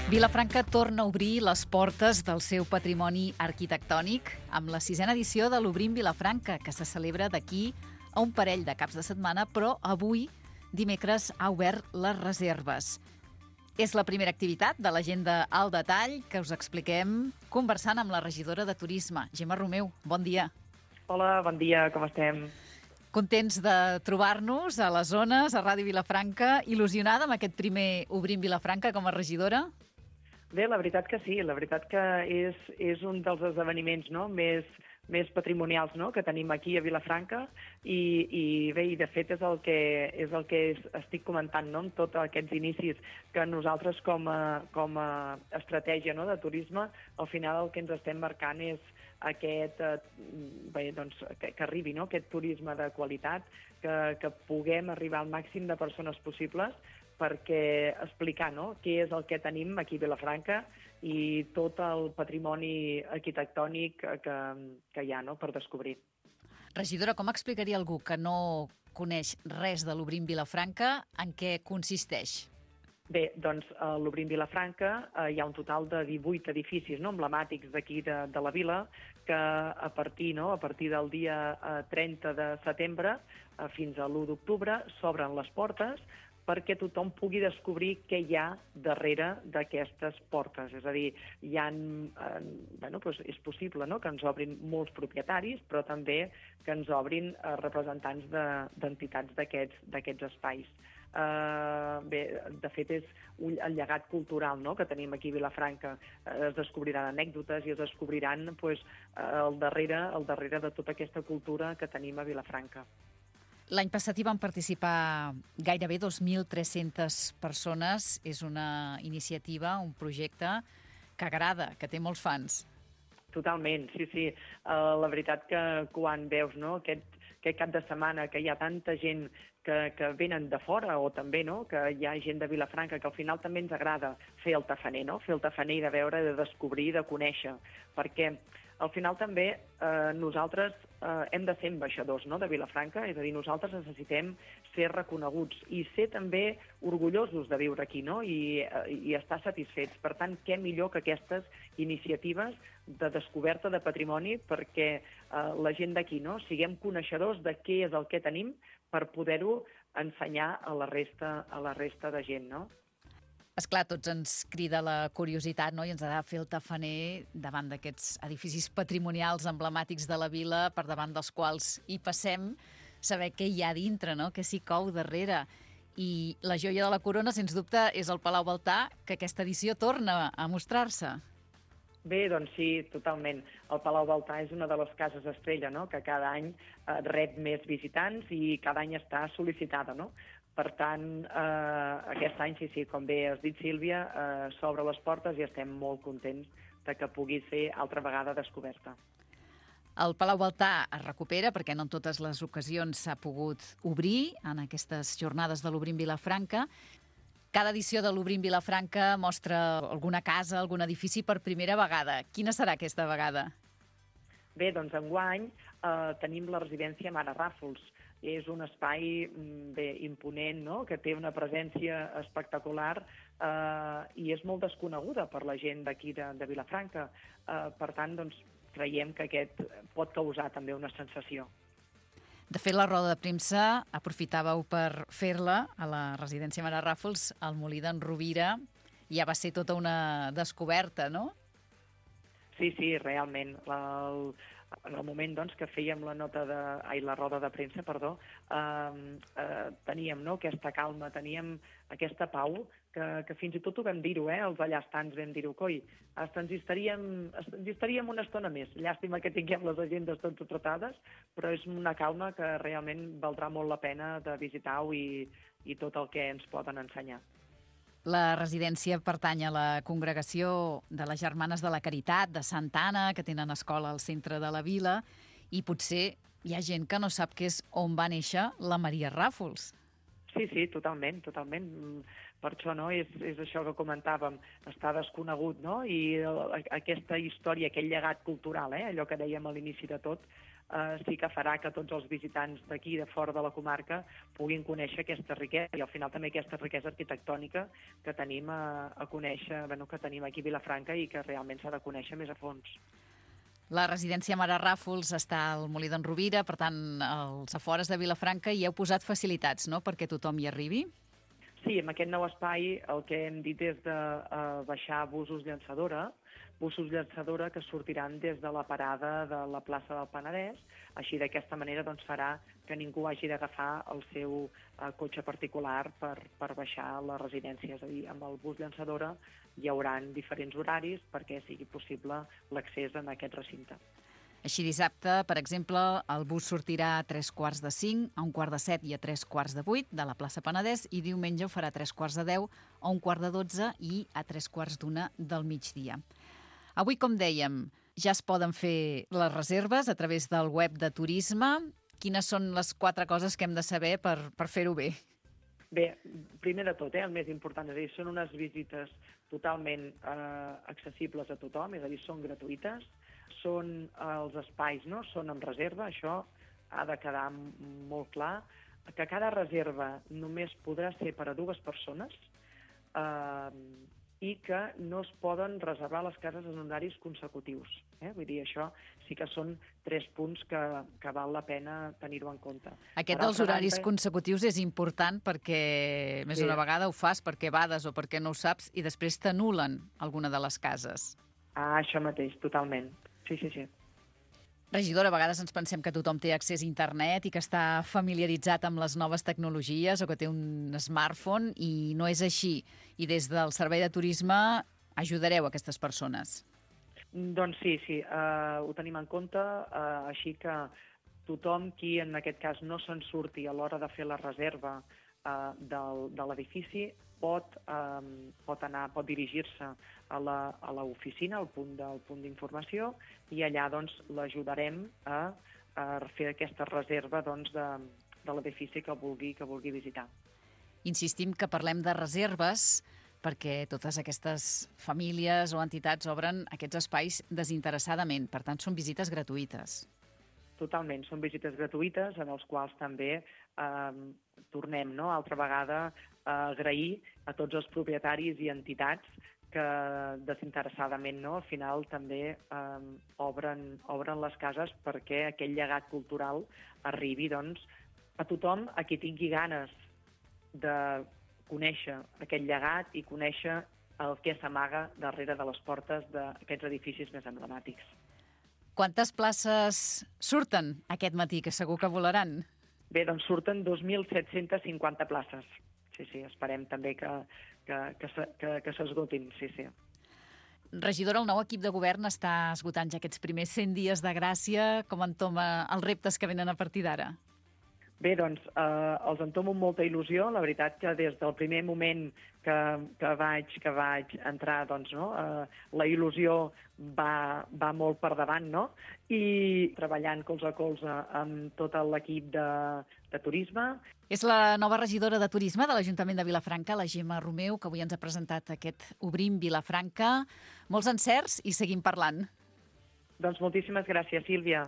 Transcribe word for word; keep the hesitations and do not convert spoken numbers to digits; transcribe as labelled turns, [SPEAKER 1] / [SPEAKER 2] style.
[SPEAKER 1] Vilafranca torna a obrir les portes del seu patrimoni arquitectònic amb la sisena edició de l'Obrim Vilafranca, que se celebra d'aquí a un parell de caps de setmana, però avui, dimecres, ha obert les reserves. És la primera activitat de l'agenda al detall que us expliquem conversant amb la regidora de Turisme, Gemma Romeu. Bon dia.
[SPEAKER 2] Hola, bon dia, com estem?
[SPEAKER 1] Contents de trobar-nos a les zones, a Ràdio Vilafranca, il·lusionada amb aquest primer Obrim Vilafranca com a regidora?
[SPEAKER 2] Bé, la veritat que sí, la veritat que és, és un dels esdeveniments no? més, més patrimonials no? que tenim aquí a Vilafranca i, i bé, i de fet és el que, és el que estic comentant no? amb tots aquests inicis que nosaltres com a, com a estratègia no? de turisme, al final el que ens estem marcant és aquest, eh, bé, doncs, que, que arribi no? aquest turisme de qualitat, que, que puguem arribar al màxim de persones possibles perquè explicar no? què és el que tenim aquí a Vilafranca i tot el patrimoni arquitectònic que, que hi ha no? per descobrir.
[SPEAKER 1] Regidora, com explicaria algú que no coneix res de l'Obrim Vilafranca en què consisteix?
[SPEAKER 2] Bé, doncs a l'Obrim Vilafranca eh, hi ha un total de divuit edificis no? emblemàtics d'aquí de, de la vila que a partir, no? a partir del dia eh, trenta de setembre eh, fins a l'u d'octubre s'obren les portes perquè tothom pugui descobrir què hi ha darrere d'aquestes portes. És a dir, hi ha, eh, bueno, doncs és possible no? que ens obrin molts propietaris, però també que ens obrin eh, representants d'entitats de, d'aquests espais. Uh, bé, de fet, és un, el llegat cultural no? que tenim aquí a Vilafranca. Uh, es descobriran anècdotes i es descobriran pues, uh, el, darrere, el darrere de tota aquesta cultura que tenim a Vilafranca.
[SPEAKER 1] L'any passat hi van participar gairebé dos mil tres-centes persones. És una iniciativa, un projecte que agrada, que té molts fans.
[SPEAKER 2] Totalment, sí, sí. Uh, la veritat que quan veus no, aquest, aquest cap de setmana que hi ha tanta gent que, que venen de fora o també no, que hi ha gent de Vilafranca que al final també ens agrada fer el tafaner, no? fer el tafaner i de veure, de descobrir, de conèixer, perquè al final també eh, nosaltres eh, hem de ser ambaixadors no, de Vilafranca, és a dir, nosaltres necessitem ser reconeguts i ser també orgullosos de viure aquí no? I, i estar satisfets. Per tant, què millor que aquestes iniciatives de descoberta de patrimoni perquè eh, la gent d'aquí no? siguem coneixedors de què és el que tenim per poder-ho ensenyar a la resta, a la resta de gent, no?
[SPEAKER 1] Esclar, tots ens crida la curiositat, no? I ens ha de fer el tafaner davant d'aquests edificis patrimonials emblemàtics de la vila, per davant dels quals hi passem, saber què hi ha dintre, no? Què s'hi cou darrere. I la joia de la corona, sens dubte, és el Palau Baltà, que aquesta edició torna a mostrar-se.
[SPEAKER 2] Bé, doncs sí, totalment. El Palau Baltà és una de les cases estrella, no? que cada any eh, rep més visitants i cada any està sol·licitada, no? Per tant, eh, aquest any, sí, sí, com bé has dit, Sílvia, eh, s'obre les portes i estem molt contents de que pugui ser altra vegada descoberta.
[SPEAKER 1] El Palau Baltà es recupera perquè no en totes les ocasions s'ha pogut obrir en aquestes jornades de l'Obrim Vilafranca. Cada edició de l'Obrim Vilafranca mostra alguna casa, algun edifici per primera vegada. Quina serà aquesta vegada?
[SPEAKER 2] Bé, doncs enguany eh, tenim la residència Mare Ràfols. És un espai bé, imponent, no? que té una presència espectacular eh, i és molt desconeguda per la gent d'aquí de, de Vilafranca. Eh, per tant, doncs, creiem que aquest pot causar també una sensació.
[SPEAKER 1] De fet, la roda de premsa aprofitàveu per fer-la a la residència Mare Ràfols, al Molí d'en Rovira. Ja va ser tota una descoberta, no?
[SPEAKER 2] Sí, sí, realment. El, en el moment doncs, que fèiem la nota de, ai, la roda de premsa, perdó, eh, eh, teníem no, aquesta calma, teníem aquesta pau, que, que fins i tot ho vam dir-ho, eh, els allastants vam dir-ho, coi, hasta ens hi, estaríem, ens hi estaríem una estona més. Llàstima que tinguem les agendes totes tratades, però és una calma que realment valdrà molt la pena de visitar-ho i, i tot el que ens poden ensenyar.
[SPEAKER 1] La residència pertany a la congregació de les Germanes de la Caritat, de Santa Anna, que tenen escola al centre de la vila, i potser hi ha gent que no sap que és on va néixer la Maria Ràfols.
[SPEAKER 2] Sí, sí, totalment, totalment. Per això no, és, és això que comentàvem, està desconegut, no? I aquesta història, aquest llegat cultural, eh? allò que dèiem a l'inici de tot, eh, sí que farà que tots els visitants d'aquí, de fora de la comarca, puguin conèixer aquesta riquesa i al final també aquesta riquesa arquitectònica que tenim a, a conèixer, bueno, que tenim aquí a Vilafranca i que realment s'ha de conèixer més a fons.
[SPEAKER 1] La residència Mare Ràfols està al Molí d'en Rovira, per tant, als afores de Vilafranca, i heu posat facilitats, no?, perquè tothom hi arribi?
[SPEAKER 2] Sí, en aquest nou espai el que hem dit és de uh, baixar busos llançadora, busos llançadora que sortiran des de la parada de la plaça del Penedès. Així, d'aquesta manera, doncs, farà que ningú hagi d'agafar el seu uh, cotxe particular per, per baixar a la residència. És a dir, amb el bus llançadora hi haurà diferents horaris perquè sigui possible l'accés en aquest recinte.
[SPEAKER 1] Així, dissabte, per exemple, el bus sortirà a tres quarts de cinc, a un quart de set i a tres quarts de vuit de la plaça Penedès, i diumenge ho farà a tres quarts de deu, a un quart de dotze i a tres quarts d'una del migdia. Avui, com dèiem, ja es poden fer les reserves a través del web de turisme. Quines són les quatre coses que hem de saber per, per fer-ho bé?
[SPEAKER 2] Bé, primer de tot, eh, el més important, és a dir, són unes visites totalment eh, accessibles a tothom, és a dir, són gratuïtes, són eh, els espais, no?, són amb reserva, això ha de quedar molt clar, que cada reserva només podrà ser per a dues persones eh, i que no es poden reservar les cases en horaris consecutius. Eh? Vull dir, això sí que són tres punts que, que val la pena tenir-ho en compte.
[SPEAKER 1] Aquest dels horaris banda... consecutius és important perquè més d'una sí. vegada ho fas perquè bades o perquè no ho saps i després t'anulen alguna de les cases.
[SPEAKER 2] Ah, això mateix, totalment. Sí, sí, sí.
[SPEAKER 1] Regidora, a vegades ens pensem que tothom té accés a internet i que està familiaritzat amb les noves tecnologies o que té un smartphone i no és així. I des del Servei de Turisme ajudareu aquestes persones.
[SPEAKER 2] Doncs sí, sí, uh, ho tenim en compte, uh, així que tothom qui en aquest cas no se'n surti a l'hora de fer la reserva uh, del, de l'edifici pot, um, pot anar, pot dirigir-se a l'oficina, al punt del punt d'informació, i allà doncs l'ajudarem a, a fer aquesta reserva doncs, de, de l'edifici que vulgui, que vulgui visitar.
[SPEAKER 1] Insistim que parlem de reserves perquè totes aquestes famílies o entitats obren aquests espais desinteressadament. Per tant, són visites gratuïtes.
[SPEAKER 2] Totalment, són visites gratuïtes en els quals també eh, tornem, no?, altra vegada a agrair a tots els propietaris i entitats que desinteressadament, no?, al final també eh, obren, obren les cases perquè aquell llegat cultural arribi doncs, a tothom a qui tingui ganes de conèixer aquest llegat i conèixer el que s'amaga darrere de les portes d'aquests edificis més emblemàtics.
[SPEAKER 1] Quantes places surten aquest matí, que segur que volaran?
[SPEAKER 2] Bé, doncs surten dos mil set-cents cinquanta places. Sí, sí, esperem també que, que, que, que, que s'esgotin, sí, sí.
[SPEAKER 1] Regidora, el nou equip de govern està esgotant ja aquests primers cent dies de gràcia. Com entoma els reptes que venen a partir d'ara?
[SPEAKER 2] Bé, doncs, eh, els entomo amb molta il·lusió. La veritat que des del primer moment que, que, vaig, que vaig entrar, doncs, no, eh, la il·lusió va, va molt per davant, no? I treballant colze a colze amb tot l'equip de, de turisme.
[SPEAKER 1] És la nova regidora de turisme de l'Ajuntament de Vilafranca, la Gemma Romeu, que avui ens ha presentat aquest Obrim Vilafranca. Molts encerts i seguim parlant.
[SPEAKER 2] Doncs moltíssimes gràcies, Sílvia.